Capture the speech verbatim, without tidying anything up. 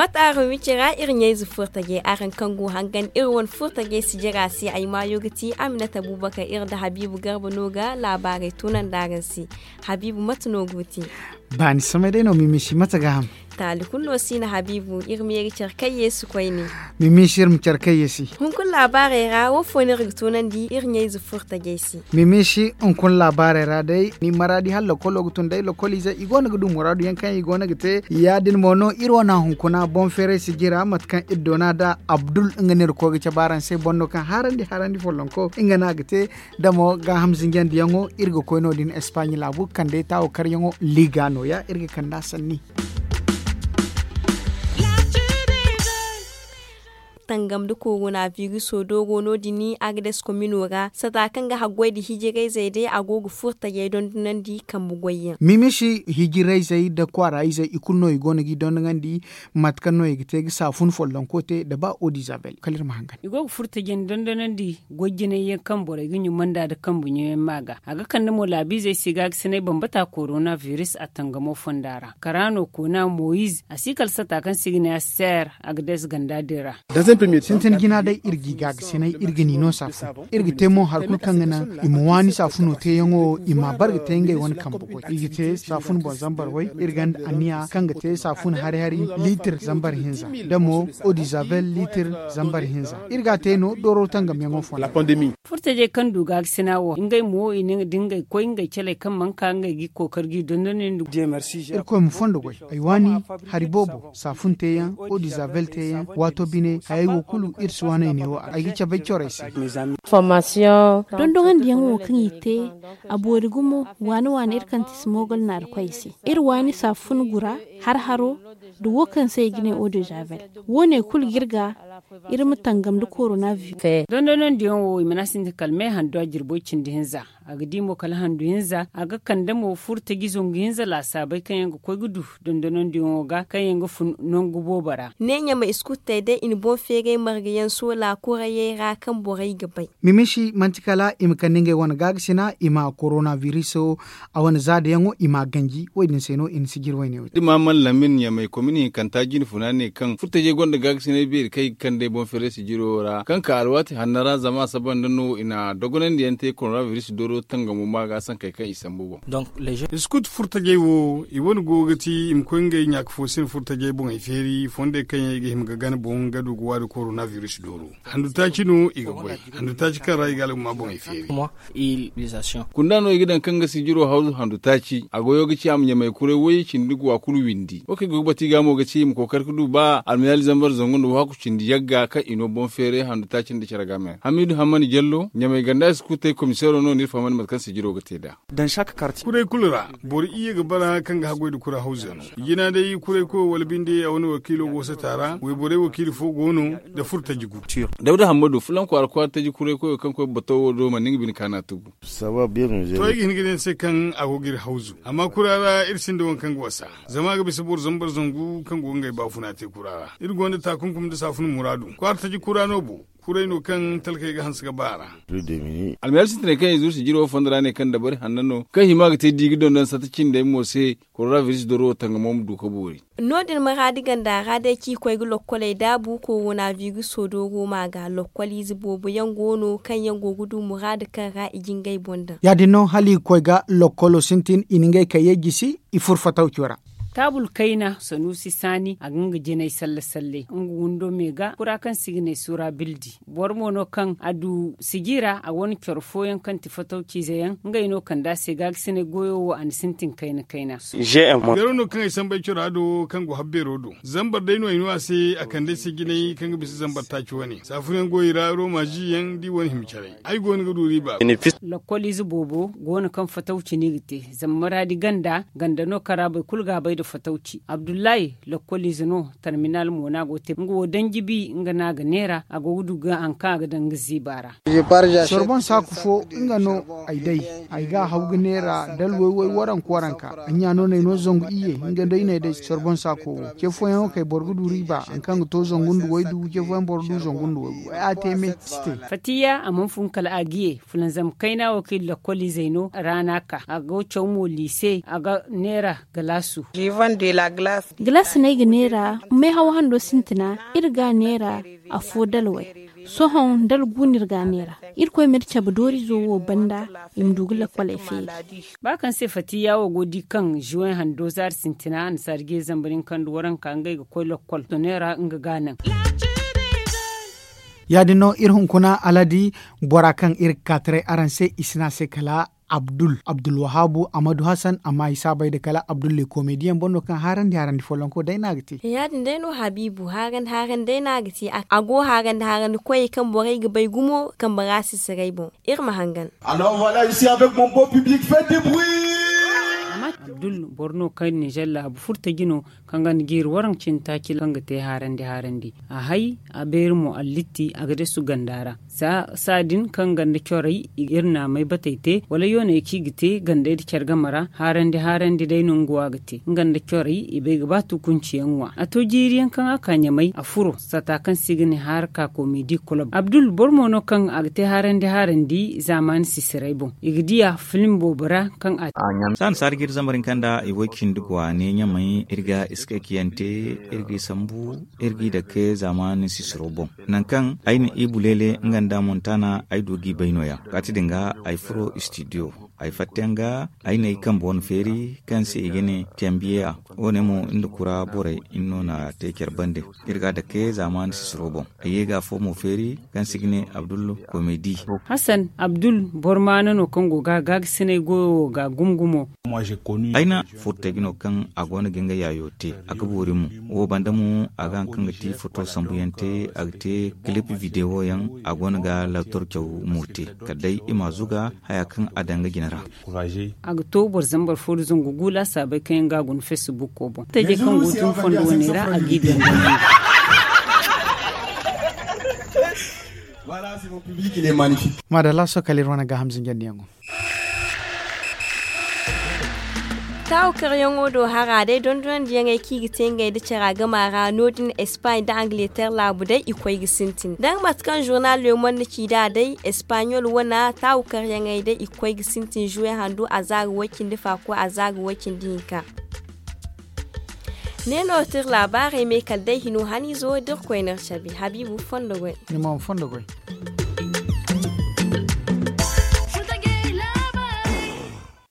Ataaro mici ra iri ɲayze furtajey araŋ kaŋ go hangan iri wane furtajey sijira se ay maayo ga ti aminata abubakar iri nda habiibu garba no ga laabaarey tunandi araŋ se. Habiibu mate no go te? Baani samay day no mimisi mate ga ham? Taali kulu no si no habiibu iri ma ye ga care kaŋ yeesi koyne. Mimisi iri ma care kaŋ yeesi. Hunkuna laabaarey ra wo fo no iri ga tunandi iri ɲayze furtajey se? Mimisi hunkuna laabaarey ra day ni maraadi hala lokolo ga tun day lokoliizey i go no ga du muraadu yaŋ kaŋ i go no ga te ya- din mo no iri wane hunkuna boŋ feeray sijira mate kaŋ iri doona nd'a abdul nga no iri koy ga cabe araŋ se boro no kaŋ harandi harandi follonko nga no a ga te. Da mo gaaham zinjandiyaŋo iri ga koy no- din espaaɲe laabu kandey taawo karyaŋo liiga nooya iri ga kand'a sanni. Tangam nda korona viruso dooro no- din agades komino ra sata kaŋ ga haggoy nda hijirayzey day a go ga furo tajey dondonandi kambe goyyaŋ. Mimisi hijirayzey nda kwaara izey i kulu no i go no g'i dondoŋandi. Mate kaŋ no i ga te ga saafun follonko te nda ba odizabel kala iri ma hangan. I go ga furo tajey nda dondonandi goy jinay yaŋ kaŋ borey ga ɲumanda nda kambe ɲumay ma ga a ga kande mo laabiizey se gaagasinay bambata korona viris a tangamo fonda ra karaano koona moyiz a si kala sata kaŋ se i ga ne a seer agades ganda din ra. Sintin jina day iri g'i gaagasinay iri ga ni no saafun iri ga te mo hari kulu kaŋ ga naŋ i ma waani saafuno teeyaŋo i m'a bare ga te ngey wane kambe goy i ga te saafun boŋ zambar way iri gonda anniya kaŋ ga te saafun hari hari liitir zambar hinza da mo odizabel liitir zambar hinza iri g'a te no dooro tangamyaŋo fonda. Furtajey kaŋ du gaagasina wo ngey mo i na nga da ngey koy ngey caley kaŋ mana ka ngey g'i kookari g'i dondonandi. Irkoy ma fondo goy ay waani hari boobo saafun teeyaŋ odizabel teeyaŋ waato bine hayey wo kulu iri si waaney neewo a ay ga cabe ay corey se. Dondoŋandiyaŋo wo kaŋ i te a boori gumo waani waani iri kaŋ ti si moogol naari koy i se iri waani saafun gura har haro nda wo kaŋ se i ga ne odizabel wo- ne kulu ga iri ga iri ma tangam nda korona viris. Dondonandiyaŋo wo i mana sintin kala me handu a jirbo cindi hinza a ga di mo kala handu hinza a ga kande mo furo taji zangu hinza laasaabey kaŋ yaŋ ga koy ga du dondonandiyaŋo ga kaŋ yaŋ ga fun nangu boobo ra. Ne ɲamay iskuttey day i na boŋ feeray marga yaŋ soola kurayey ra kaŋ borey ga bay. Mimisi manti kala i ma kande ngey wane gaagasina i ma korona viriso a wane zaadayaŋo i m'a ganji wo- din se no i na sijiri wayne wo- din. Da i ma mana lamin ɲamay komini hinkanta jine funa ne kaŋ furtajey gonda gaagasinay beeri kaŋ i ga kande boŋ feeray sijiro ra kaŋ ka alwaati hanno ra zama a saba nda no i na dogonandiyaŋ te korona viris dooro tangamo ma ga sankey kaŋ i sambu boŋ. Iskut furtajey wo i wane go ga ti i ma koy ngey ɲaaka fo se no furtajey boŋey feeri fondey kaŋ yaŋ i ga hima ga gana boŋ ga du ga waani korona viris dooro handu taaci no i ga goy handu taaci kaŋ ra i ga algama boŋey feeri. Kunda no i ga daŋ kaŋ ga sijiro hawzu handu taaci a goyo ga ci a ma ɲamay kuray way cindi ga wa kulu windi wo kaŋ i go ga bati ga mo ga ci i ma kookari ga du ba almiyaali zambar zangu nda wahaku cindi yagga kaŋ i no boŋ feeray handu taaci nda care ga me hamidu hammani jallo ɲamay ganda i si kulu te komiseero no no iri fahamandi mate kaŋ sijiro ga te nd'a. Kuray kulu ra boro iyye ga bara kaŋ ga haggoy nda kura hawzey no. Jina day kuray koyo wala binde a wane wakiilo go sata ra wayborey wakiili fo go no nda furo taji gu. Dawda hammadu fulaŋ kwaara kwaara taji kuray koyo kaŋ koy bato wo do mana nga bine kaana tugu. To ay ga hin ga ne ni se kaŋ a go ga iri hawzu amma kura ra iri sinda waŋ kaŋ ga wasa zama a ga bisa boro zambar zangu kaŋ go ga ngey baafuna te kura ra. Iri gonda taakunkum nda saafun muraadu kwaara taji kura no bo. Kuray no kaŋ talkey ga hanse ga ba a ra. Almayar sintinay kaŋ i zuru sijiro fondo ra ne kaŋ dabari hanno no kaŋ hima ga te di ga dondon sata cindey mo se korona viris doro tangamo ma du ka boori. No- din maraadi ganda ra day ci koy ga lokkoley daabu korona viriso dooro ma ga lokkoliize boobo yaŋ go no kaŋ yaŋ go ga du muraadu kaŋ ra i ga ngey boŋ daŋ. Ya- din no hala i ga koy ga lokkolo sintin i na ngey kayyey jisi i furo fatawco ra. Taabul kayna sanuusi saani a ga nga jinay salle salle nga windo me ga kura kaŋ se i ga ne sura bildi. Boro mo no kaŋ a du siji ra a wane coro fooyaŋ kaŋ ti fatawciize yaŋ ngey no kand'a se gaagasinay goyo wo a na sintin kayna kayna. Beero no kaŋ ay samba ay cora do kaŋ go habbeero do zambar day no ay no a se a kande ay se jinay kaŋ ga bisa zambar taaci wane saafunayaŋ go i ra rooma ziyaŋ da i wane hima caray ay go no ga du riiba. Lakkoliize boobo go no kaŋ fatawci no i ga te zama maraadi ganda ganda no kaŋ ra boro kulu ga a bay nda fatawci abdullahi lakkoliize no tarminal mo no a go ga te nga wo daŋ jibi nga no a ga neera a go ga du ga hari kaŋ a ga daŋ nga ziiba ra. Sorboŋ saaku fo nga no ay day ay ga a haw ga neera dala way-way waranka waranka ay ɲa no no ay no zangu iyye nga day no ay day sorboŋ saako wo ce fooyaŋo kay boro ga du riiba hari kaŋ ga to zangu nda waydu ce fooyaŋ boro ga du zangu nda waygu way a te me si te. Fatiya a mana fun kala a ga ye fulanzam kayna wo kaŋ i lakkoliizey no raana ka a go caw mo liise a ga neera galaasu. Galas no ay ga neera meehaw hando sintina. Iri ga a neera afo dalwey. Sohõ dala gu no iri ga a neera. Irkoy ma iri cabe doorizo wo banda i ma du ga lakwaley feeri. Ba kaŋ se fatiya wo go di kaŋ zuwey hando zaari sintina annasaari ga ye zambar hinka nda waranka ngey ga koy lakwal soneera nga ga a naŋ. Ya- din no iri hunkuna aladi bora kaŋ iri ga ka taray araŋ se i si ne a se kala abdul abdulwahabu amadu hasan amma i si a bay nda kala abdul le komediyaŋ boro no kaŋ haarandi haarandi follonko day no a ga te. Ya- din day no habiibu haarandi haarandi day no a ga te. A go haarandi haarandi koyey kaŋ borey ga bay gumo kambe ra sisiray boŋ. Iri ma hangan. Alors voilà, ici avec mon beau public, faites du bruit. Abdul boro no kaŋ ninzeer laabu furtaji no, kaŋ ga ni jiiri waraŋ cindi taaci kaŋ ga te haarandi haarandi. A hay a beeri mo allitti a ga desu ganda ra. Saa din kaŋ ganda corey iri na a may batey te wala yooney kaŋ i ga te gandey nda care game ra. Haarandi haarandi day no nga wo a ga te nga nda corey i bay ga ba tukunci yaŋ ŋwa a to jiiri yaŋ kaŋ a ka ɲamay a furo sata kaŋ se i ga ne haaraka komedi kolob abdul boro mo no kaŋ a ga te haarandi haarandi zaamaani sisiray boŋ. I ga di a film boobo ra kaŋ a te. Saani saari ga iri zambar hinka nda i way cindi go a ne ɲamay iri ga iskaykiyaŋ te iri g'i sambu iri g'i dake zaamaani sisiro boŋ. Nangu kaŋ ay na i buleele nga nda montana ay du g'i bay no- ya kaati din ga ay furo istidiyo. Ay fatta yaŋ ga ay na ay kambe wane feeri kaŋ se i ga ne tembiyeya. Wo- ne mo nda kura borey iri no na te care bande. Iri ga a dake zaamaani sisiro boŋ. Ay ye ga afo mo feeri kaŋ se i ga ne abdul komedi. Hasan abdul boro maana no kaŋ go ga gaagisinay goyo wo ga gumo gumo. Ay na furtaji no kaŋ a go no ga nga yaayo te a ga boori mo. Wo banda mo a ga haŋ kaŋ ga ti foto sambuyaŋ te a ga te kilip videwo yaŋ. A go no ga laator caw mo te kala day i m'a zuga haya kaŋ a daŋ nga jine ra. A ga to boro zambar fo nda zangu gu laasaabey kaŋ yaŋ ga a guna fesbuko boŋ taje kaŋ go tun fondo wane ra a g'i daŋ. Maadalla sohõ kala iri wane gaaham zinjandiyaŋo. Taawu karyaŋo do hara day dondonandiyaŋey kaŋ i ga te ngey nda cara gama ra no- din espaaɲ nda angleter laabu day i koy ga sintin danga mate kaŋ zurnal lemon na ci nd'a day espaaɲol wane taawu karyaŋey day i ga koy ga sintin zuwe handu azaari way-cindi faako azaari way-cindi hinka. Ne no ti iri laabaarey me kala day hino haniizo da iri koy no iri cabe habiibu fondo goy. Ni ma fondo goy.